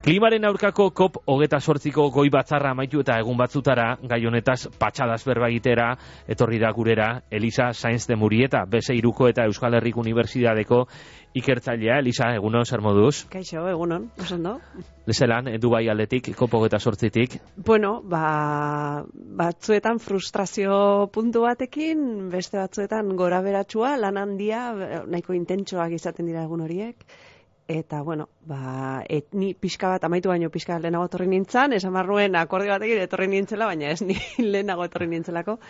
Klimaren aurkako COP28ko goi batzarra amaitu eta egun batzutara gai honetaz patxadaz berba egitera etorri da gurera Elisa Sainz de Murieta, B6ko eta Euskal Herriko Unibertsitateko ikertzailea. Elisa, egunon, zer moduz? Kaixo, egunon, osondo. Lezelan, Dubai aldetik, COP28tik? Bueno, batzuetan frustrazio puntu batekin, beste batzuetan gora beratsua, lan handia, nahiko intentsoak izaten dira egun horiek. Eta, bueno, ni pixka bat, amaitu baino pixka bat lehenago etorri nintzen, esan barruen akordio batekin etorri nintzela, baina ez ni lehenago etorri nintzelako.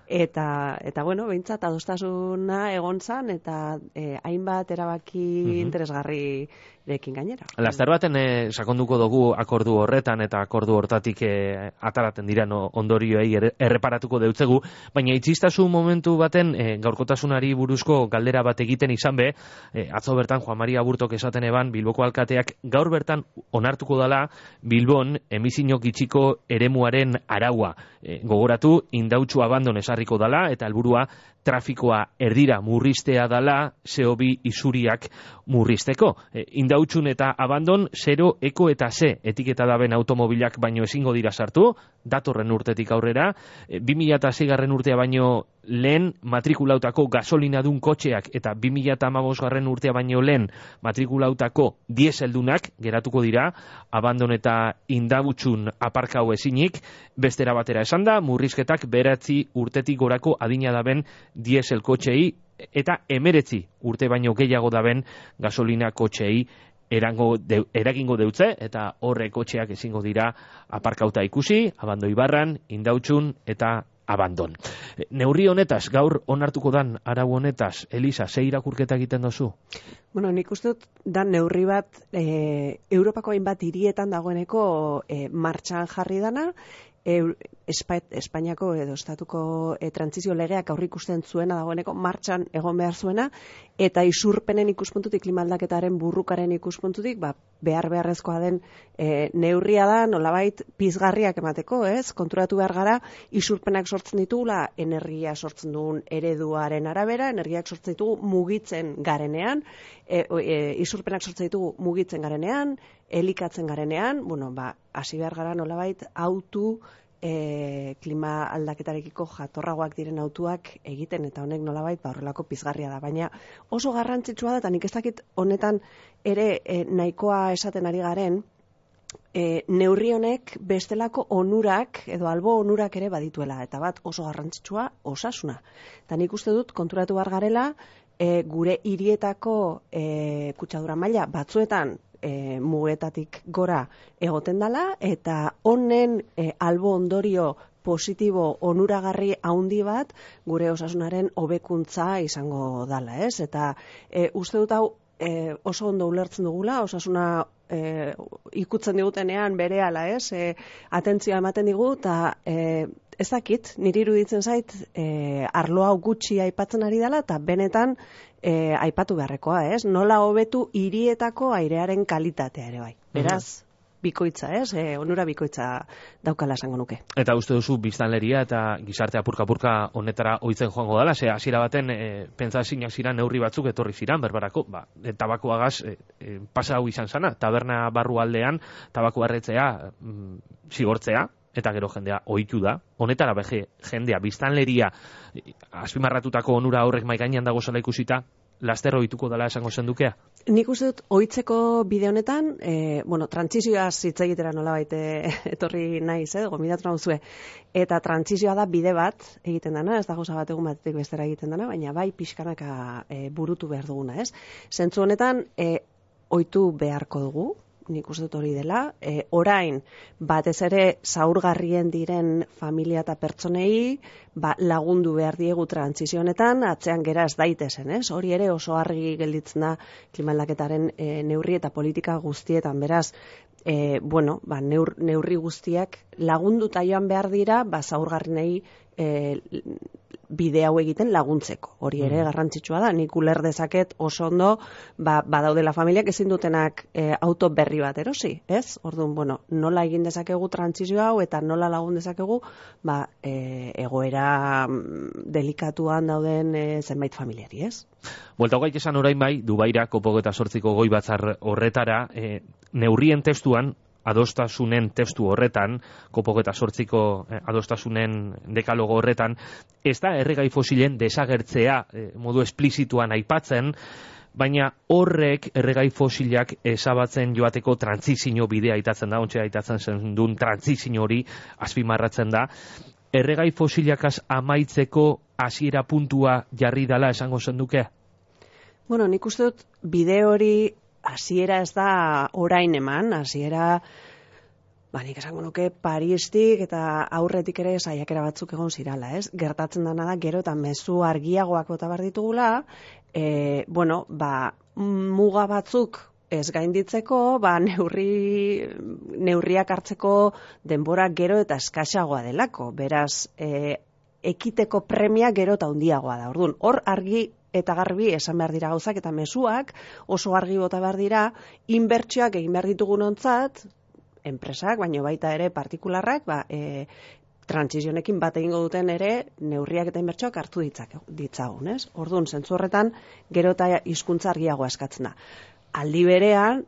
Eta bueno, behintzat adostasuna egon zan, eta hainbat erabaki interesgarrirekin gainera. Laster baten sakonduko dugu akordu horretan, eta akordu hortatik ataraten diren ondorioei erreparatuko deutzegu, baina itxistasun momentu baten gaurkotasunari buruzko galdera bat egiten izan be, atzo bertan Juan Maria Aburtok esaten eban, Bilboko alkateak gaur bertan onartuko dala Bilbon emisioak gitxiko eremuaren araua. Gogoratu, indautxu abandon esarriko dala, eta helburua trafikoa erdira murriztea dala CO2 isuriak murrizteko. Indautxun eta abandon 0, eko eta Z etiketa daben automobilak baino ezingo dira sartu, datorren urtetik aurrera, 2006 urtea baino lehen matrikulautako gasolinadun kotxeak eta 2015 urtea baino lehen matrikulautako dieseldunak geratuko dira, abandon eta indautxun aparkau ezinik, bestera batera esan da, murrizketak 9 urtetik gorako adina daben diesel kotxei eta 19 urte baino gehiago daben gasolina kotxei eragingo deutze, eta horre kotxeak ezingo dira aparkauta ikusi, abando ibarran, indautxun eta abandon. Neurri honetaz, gaur onartuko dan arau honetaz, Elisa, ze irakurketa egiten dozu? Bueno, nik uste dut da neurri bat Europako hainbat hirietan dagoeneko martxan jarri dana, Espainiako edo estatuko trantsizio legeak aurreikusten zuena dagoeneko martxan egon behar zuena, eta isurpenen ikuspuntutik, klima aldaketaren burrukaren ikuspuntutik, beharrezkoa den neurria da, nolabait pizgarriak emateko, ez? Konturatu behar gara, isurpenak sortzen ditugula energia sortzen duen ereduaren arabera, energiak sortzen ditugu mugitzen garenean, isurpenak sortzen ditugu mugitzen garenean, elikatzen garenean, hasi behar gara nolabait autu klima aldaketarekiko jatorragoak diren autuak egiten, eta honek nolabait horrelako pizgarria da, baina oso garrantzitsua da, eta nik ez dakit honetan ere nahikoa esaten ari garen, neurri honek bestelako onurak edo albo onurak ere badituela, eta bat oso garrantzitsua osasuna. Eta nik uste dut konturatu behar garela, gure hirietako kutsadura maila batzuetan mugetatik gora egoten dela, eta honen albo ondorio positibo onuragarri haundi bat gure osasunaren hobekuntza izango dala, ez? Eta uste dut hau oso ondo ulertzen dugula, osasuna ikutzen digutenean berehala, ez? Atentzioa ematen digu, eta ez dakit, niri iruditzen zait, arlo hau gutxi aipatzen ari dela, eta benetan aipatu beharrekoa, ez? Nola hobetu hirietako airearen kalitatea ere bai. Beraz, bikoitza, ez? Onura bikoitza daukala esango nuke. Eta uste duzu biztanleria eta gizarte apurka-apurka honetara ohitzen joango dela, ze hasiera baten pentsaezinak ziran neurri batzuk etorri ziran, berbarako, tabakoagaz pasa hau izan zana, taberna barru aldean tabako erretzea zigortzea, eta gero jendea ohitu da, honetara jendea, biztanleria azpimarratutako onura horrek mahai gainean dago zela ikusita, laster ohituko dela esango zendukea? Nik uste dut ohitzeko bide honetan, trantsizioaz hitz egitera nolabait etorri naiz, gomidatu nauzue, eta trantsizioa da bide bat egiten dana, ez da gauza bat egun batetik bestera egiten dana, baina bai pixkanaka burutu behar duguna, ez? Zentzu honetan, ohitu beharko dugu, nik uste dut hori dela, orain batez ere zaurgarrien diren familia eta pertsonei lagundu behar diegu trantsizio honetan, atzean gera ez daitezen, ez? Hori ere oso argi gelditzen da klima aldaketaren neurri eta politika guztietan, beraz, neurri guztiak lagunduta joan behar dira, zaurgarrienei bide hau egiten laguntzeko. Hori ere garrantzitsua da, nik uler dezaket oso ondo, badaudela familiak ezin dutenak auto berri bat erosi, ez? Orduan, nola egin dezakegu trantsizio hau eta nola lagun dezakegu, egoera delikatuan dauden zenbait familiari, ez? Buelta gaik esan orain bai, Dubaira COP28ko goi batzar horretara, neurrien testuan, adostasunen testu horretan, COP28ko adostasunen dekalogo horretan, ez da erregai fosilen desagertzea modu esplizituan aipatzen, baina horrek erregai fosilak ezabatzen joateko trantsizio bidea aitatzen da, ontsa aitatzen zen duen trantsizio hori azpimarratzen da. Erregai fosilakaz amaitzeko hasiera puntua jarri dala esango zenduke? Bueno, nik uste dut bide hori hasiera ez da orain eman, hasiera nik esango nuke Paristik eta aurretik ere saiakera batzuk egon zirala, ez? Gertatzen dena da gero eta mezu argiagoak bota behar ditugula, muga batzuk ez gainditzeko, neurriak hartzeko denbora gero eta eskasagoa delako. Beraz, ekiteko premia gero eta handiagoa da. Orduan, hor argi eta garbi esan behar dira gauzak eta mezuak oso argi bota behar dira, inbertsioak egin behar ditugunontzat, enpresak, baino baita ere partikularrak, trantsizionekin bat egingo duten ere neurriak eta inbertsioak hartu ditzagun, ez? Orduan, zentzu horretan, gero eta hizkuntza argiagoa eskatzen da. Aldi berean,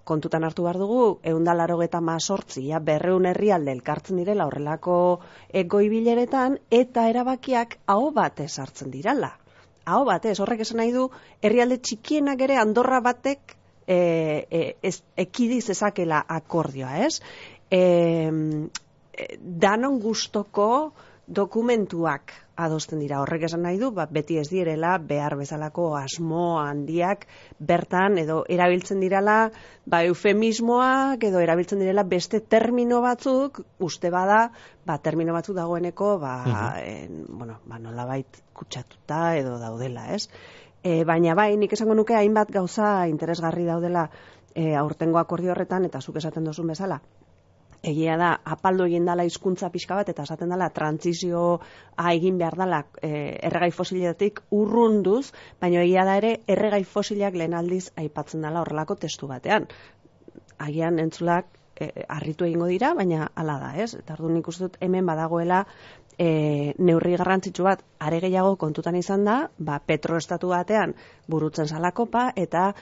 kontutan hartu behar dugu, 188, 200 herrialde elkartzen direla horrelako goi-bileretan, eta erabakiak aho batez hartzen dirala. Aho batez, horrek esan nahi du, herrialde txikienak ere Andorra batek ekidiz ezakela akordioa, ez? Danon gustoko dokumentuak adosten dira. Horrek esan nahi du, beti ez direla behar bezalako asmo handiak bertan edo erabiltzen direla eufemismoak edo erabiltzen direla beste termino batzuk, uste bada, termino batzuk dagoeneko nolabait kutsatuta edo daudela, ez? Baina nik esango nuke hainbat gauza interesgarri daudela aurtengo akordio horretan, eta zuk esaten duzun bezala. Egia da, apaldu egin dela hizkuntza pixka bat, eta esaten dela trantsizioa egin behar dela erregai fosiletik urrunduz, baina egia da ere erregai fosilak lehen aldiz aipatzen dela horrelako testu batean. Agian entzulak harritu egingo dira, baina hala da, ez? Eta orduan nik uste dut hemen badagoela neurri garrantzitsu bat, are gehiago kontutan izan da, petroestatu batean burutzen zalakopa, eta,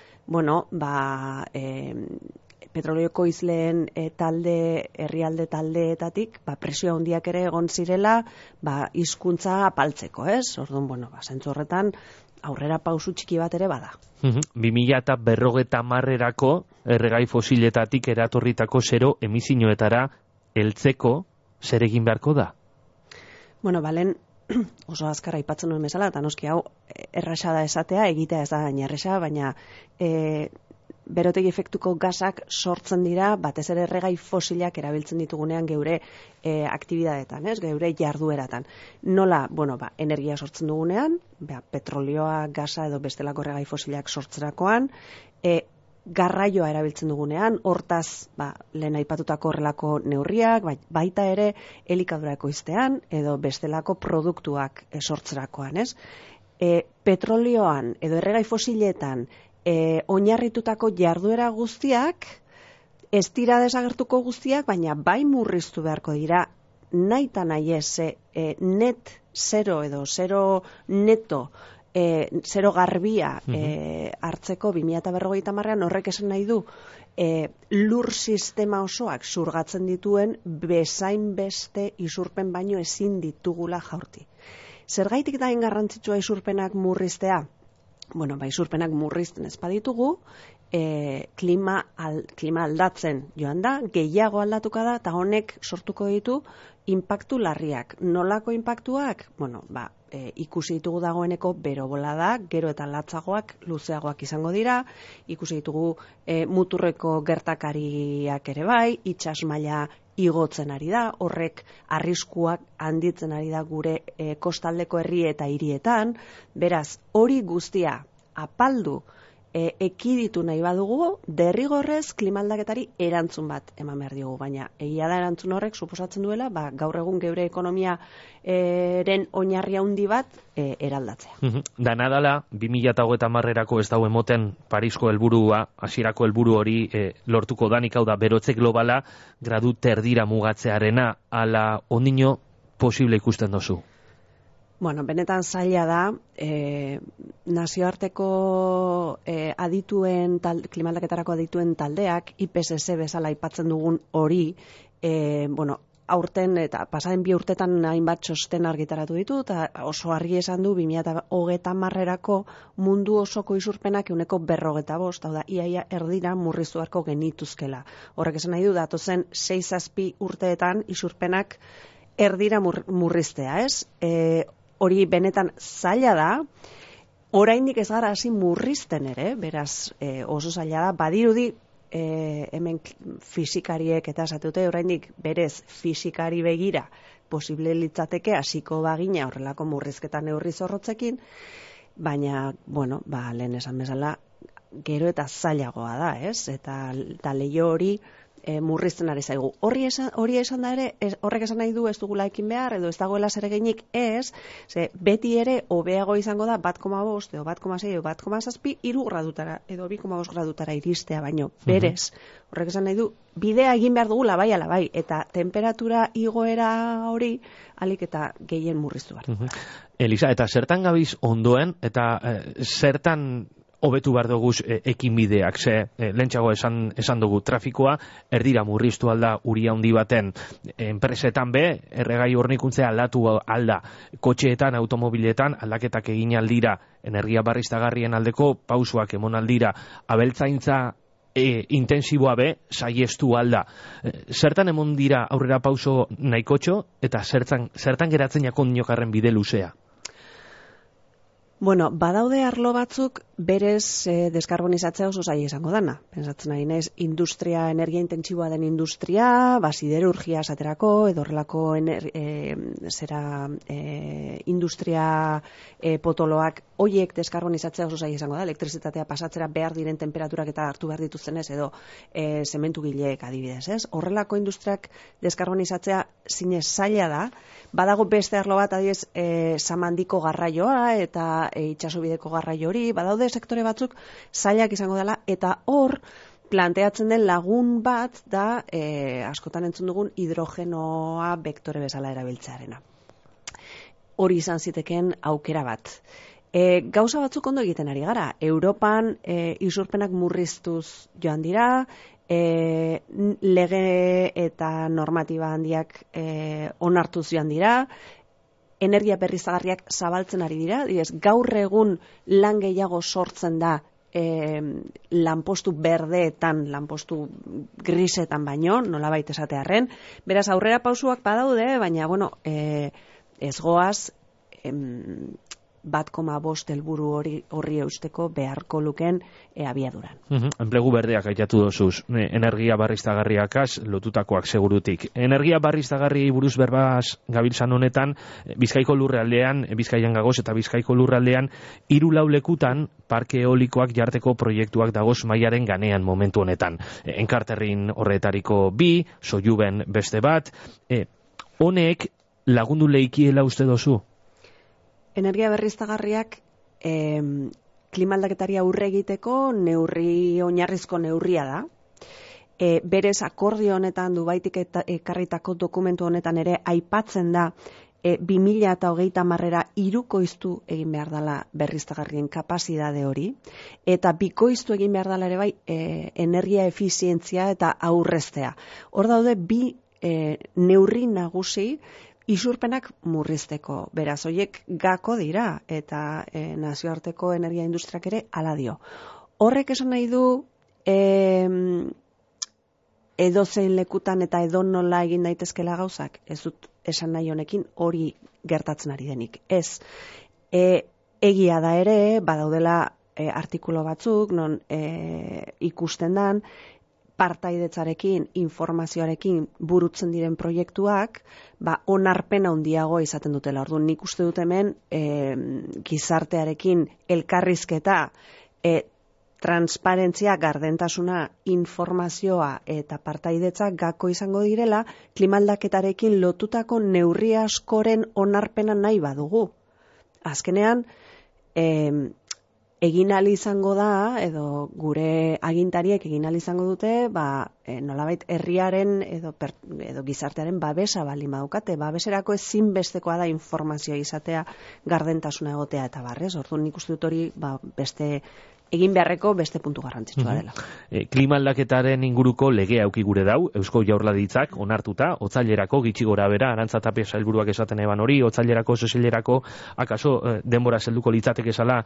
petroleoko izleen herrialde taldeetatik, presio handiak ere egon zirela, hizkuntza apaltzeko, ez? Orduan, zentzu horretan, aurrera pausu txiki bat ere bada. 2050erako erregai fosiletatik eratorritako zero emisinoetara heltzeko zer egin beharko da? Balen, oso azkar aipatzen nuen bezala, eta noski hau erraza da esatea, egitea ez da gaina erraza, baina berotegi efektuko gasak sortzen dira, batez ere erregai fosilak erabiltzen ditugunean geure aktibidadetan, ez? Geure jardueratan. Nola, energia sortzen dugunean, petrolioa, gasa edo bestelako erregai fosilak sortzerakoan, garraioa erabiltzen dugunean, hortaz, lehen aipatutako horrelako neurriak, baita ere elikadura ekoiztean, edo bestelako produktuak sortzerakoan, ez? Petrolioan edo erregai fosiletan oinarritutako jarduera guztiak, ez dira desagertuko guztiak, baina bai murriztu beharko dira, nahi eta nahi ez, net zero edo zero neto, zero garbia hartzeko 2050ean, horrek esan nahi du, lur sistema osoak zurgatzen dituen bezain beste isurpen baino ezin ditugula jaurti. Zergaitik da garrantzitsua isurpenak murriztea? Isurpenak murrizten ez baditugu, klima aldatzen joan da, gehiago aldatuka da, eta honek sortuko ditu inpaktu larriak. Nolako inpaktuak? Ikusi ditugu dagoeneko berobolada, gero eta latzagoak, luzeagoak izango dira, ikusi ditugu muturreko gertakariak ere bai, itsas maila igotzen ari da, horrek arriskuak handitzen ari da gure kostaldeko herri eta hirietan, beraz, hori guztia apaldu ekiditu nahi badugu, derrigorrez klimaldaketari erantzun bat eman behar diogu, baina egia da erantzun horrek suposatzen duela, gaur egun geure ekonomiaren oinarri handi bat eraldatzea. Dana dala, 2030erako ez dago emoten Parisko helburua, hasierako helburu hori lortuko danik, hau da, berotze globala gradu terdira mugatzearena, ala ondino posible ikusten dozu? Bueno, benetan zaila da, nazioarteko klimaldaketarako adituen taldeak, IPCC bezala aipatzen dugun hori, aurten eta pasaren 2 urtetan hainbat txosten argitaratu ditu, eta oso argi esan du 2030erako mundu osoko isurpenak 45%, hau da, iaia erdira murriztu beharko genituzkela. Horrek esan nahi du, datozen 6-7 urteetan isurpenak erdira murriztea, ez? Hori benetan zaila da, oraindik ez gara hasi murrizten ere, beraz oso zaila da, badirudi hemen fisikariek eta esatute oraindik berez fisikari begira posible litzateke hasiko bagina horrelako murrizketa neurri zorrotzekin, baina, lehen esan bezala, gero eta zailagoa da, ez? Eta leiho hori murrizten ari zaigu. Hori esan da ere, horrek esan nahi du ez dugula ekin behar, edo ez dagoela zereginik ez, beti ere hobeago izango da 1,5 edo 1,6 edo 1,7 3 gradutara edo 2,5 gradutara iristea baino. Berez, horrek esan nahi du, bidea egin behar dugula bai ala bai, eta temperatura igoera hori alik eta gehien murriztu behar. Elisa, eta zertan gabiz ondoen, eta zertan hobetu behar dugu ekinbideak, lehentxago esan dugu trafikoa, erdira murriztu alda uria handi baten enpresetan erregai hornikuntzea aldatu alda, kotxeetan, automobiletan, aldaketak egin aldira, energia berriztagarrien aldeko pausuak emon aldira, abeltzaintza intensiboa saiestu alda. Zertan emon dira aurrera pauso nahikotxo, eta zertan geratzen jakon dinokarren bide luzea? Badaude arlo batzuk berez deskarbonizatzea oso zaila izango dana. Pentsatzen ari naiz, energia intentsiboa den industria, siderurgia esaterako, edo horrelako industria potoloak, hoiek deskarbonizatzea oso zaila izango da, elektrizitatea pasatzera behar diren temperaturak eta hartu behar dituztenez, edo zementu gileek adibidez, ez? Horrelako industriak deskarbonizatzea zinez zaila da, badago beste arlo bat, adibidez, samandiko garraioa eta itxasobideko garraio hori, badaude sektore batzuk zailak izango dela, eta hor planteatzen den lagun bat da askotan entzun dugun hidrogenoa bektore bezala erabiltzearena. Hori izan zitekeen aukera bat. Gauza batzuk ondo egiten ari gara. Europan isurpenak murriztuz joan dira, lege eta normatiba handiak onartuz joan dira, energia berriztagarriak zabaltzen ari dira, gaur egun lan gehiago sortzen da lanpostu berdeetan, lanpostu grisetan baino, nolabait esatearren. Beraz, aurrera pausuak badaude, baina, ez goaz 1,5 helburu horri eusteko beharko luken abiaduran. Enplegu berdeak aitatu dozuz, energia berriztagarriakaz lotutakoak segurutik. Energia berriztagarri buruz berbaz gabiltzan honetan, Bizkaiko lurraldean, Bizkaian gagoz eta Bizkaiko lurraldean, 3-4 lekutan parke eolikoak jarteko proiektuak dagoz mailaren ganean momentu honetan. Enkarterrin horretariko 2, Soiuben beste bat. Honek lagundu leikiela uste dozu? Energia berriztagarriak klimaldaketari aurre egiteko oinarrizko neurria da. Berez akordio honetan Dubaitik ekarritako dokumentu honetan ere aipatzen da 2030era 3koiztu egin behar dela berriztagarrien kapazidade hori, eta 2koiztu egin behar dela ere bai energia efizientzia eta aurreztea. Hor daude 2 neurri nagusi isurpenak murrizteko. Beraz, hoiek gako dira, eta nazioarteko energia industriak ere hala dio. Horrek esan nahi du edozein lekutan eta edonola egin daitezkela gauzak, ez dut esan nahi honekin hori gertatzen ari denik. Ez, egia da ere, badaudela artikulo batzuk, non ikusten dan, partaidetzarekin, informazioarekin burutzen diren proiektuak, onarpena handiago izaten dutela. Orduan, nik uste dut hemen gizartearekin elkarrizketa, transparentzia, gardentasuna, informazioa eta partaidetza gako izango direla, klimaldaketarekin lotutako neurri askoren onarpena nahi badugu. Azkenean, egin ahal izango da, edo gure agintariek egin ahal izango dute, nolabait herriaren edo gizartearen babesa bali maukate, babeserako ezinbestekoa da informazioa izatea, gardentasuna egotea eta barrez, orduan nik uste dut hori beste egin beharreko beste puntu garrantzitsua dela. Klima aldaketaren inguruko legea auki gure dau, Eusko Jaurlaritzak onartuta, otzailerako gitxi gora bera, Arantza Tapia sailburuak esaten eban hori, otzailerako, sesilerako, akaso denbora zelduko litzateke esala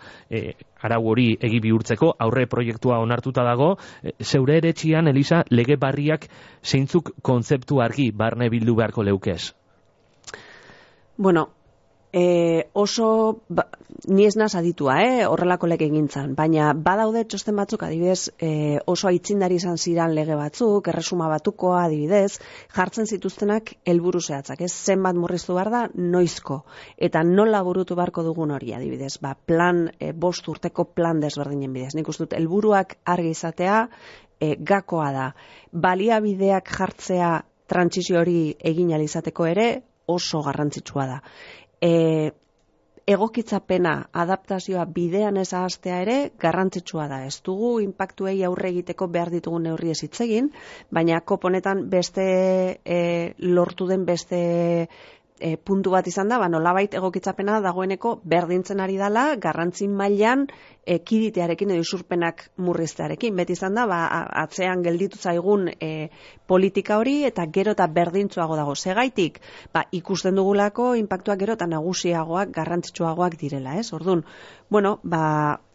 arau hori egi bihurtzeko, aurre proiektua onartuta dago, zeure eretxian, Elisa, lege barriak zeintzuk kontzeptu argi barne bildu beharko leukez? Bueno, oso, ni ez naz aditua, horrelako lege egintzan, baina badaude txosten batzuk, adibidez, oso aitzindari izan ziran lege batzuk, erresuma batukoa, adibidez, jartzen zituztenak helburu zehatzak, zenbat murriztu behar da, noizko, eta nola burutu beharko dugun hori, adibidez, plan, 5 urteko plan desberdinen bidez. Nik uste dut, helburuak argi izatea, gakoa da, baliabideak jartzea trantsizio hori egin ahal izateko ere, oso garrantzitsua da. Egokitzapena, adaptazioa bidean ez ahaztea ere garrantzitsua da. Ez dugu inpaktuei aurre egiteko behar ditugun neurri ez hitz egin, baina koponetan beste lortu den beste puntu bat izan da, nolabait egokitzapena dagoeneko berdintzen ari dela, garrantzi mailan kiditearekin edo isurpenak murriztearekin. Beti izan da, atzean gelditu zaigun politika hori eta gero eta berdintzuago dago. Segaitik, ikusten dugulako inpaktuak gero eta nagusiagoak, garrantzitsuagoak direla, ez? Orduan,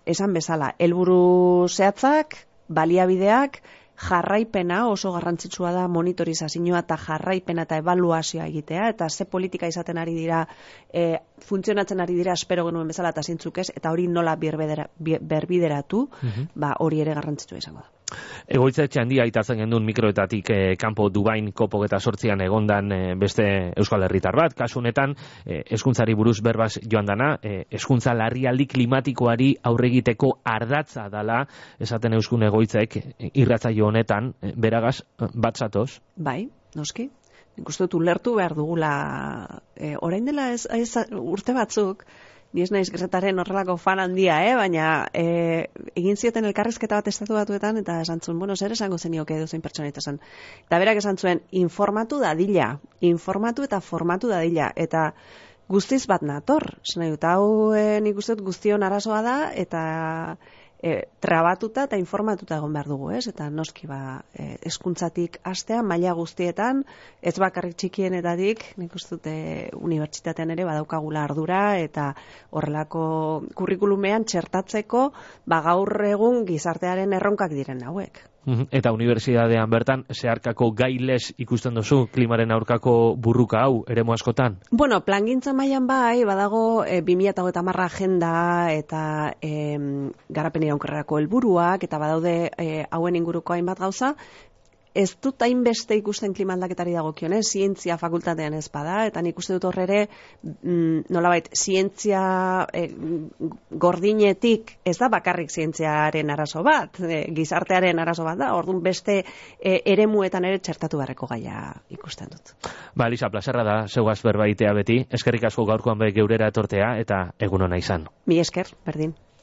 esan bezala, helburu zehatzak, baliabideak, jarraipena oso garrantzitsua da, monitorizazioa eta jarraipena eta ebaluazioa egitea, eta ze politika izaten ari dira, funtzionatzen ari dira espero genuen bezala eta zintzuk ez, eta hori nola berbideratu, hori ere garrantzitsua izango da. Egoitza etxe handia aitatzen gendun mikroetatik kanpo Dubain COP28an egondan beste Euskal Herritar bat, kasu honetan hezkuntzari buruz berbaz joan dana, hezkuntza larrialdi klimatikoari aurre egiteko ardatza dala, esaten euskun egoitzek irratsaio honetan, beragaz bat zatoz? Bai, noski. Nik uste dut ulertu behar dugula, orain dela ez urte batzuk, ni ez naiz Gretaren horrelako fan handia, baina egin zioten elkarrizketa bat Estatu Batuetan, eta esan zuen, zer esango zenioke edozein pertsonaita zen. Eta berak esan zuen, informatu dadila, informatu eta formatu dadila, eta guztiz bat nator. Zena dut, hau nik uste dut guztion arazoa da, eta trabatuta eta informatuta egon behar dugu, ez? Eta noski hezkuntzatik hastea maila guztietan, ez bakarrik txikienetatik, nik uste dute unibertsitatean ere badaukagula ardura eta horrelako kurrikulumean txertatzeko gaur egun gizartearen erronkak diren hauek. Eta unibertsitatean bertan zeharkako gailez ikusten duzu klimaren aurkako burruka hau eremu askotan? Bueno, plangintza mailan badago 2030 agenda eta garapen iraunkorrerako helburuak eta badaude hauen inguruko hainbat gauza. Ez dut hainbeste ikusten klima aldaketari dagokionez, zientzia fakultatean ez bada, eta nik uste dut horrere, nolabait, zientzia gordinetik ez da bakarrik zientziaren arazo bat, gizartearen arazo bat da, orduan beste eremuetan ere txertatu beharreko gaia ikusten dut. Elisa, plazerra da, zeugaz berbaitea beti, eskerrik asko gaurkoan geurera etortea, eta egun ona izan. Mi esker, berdin.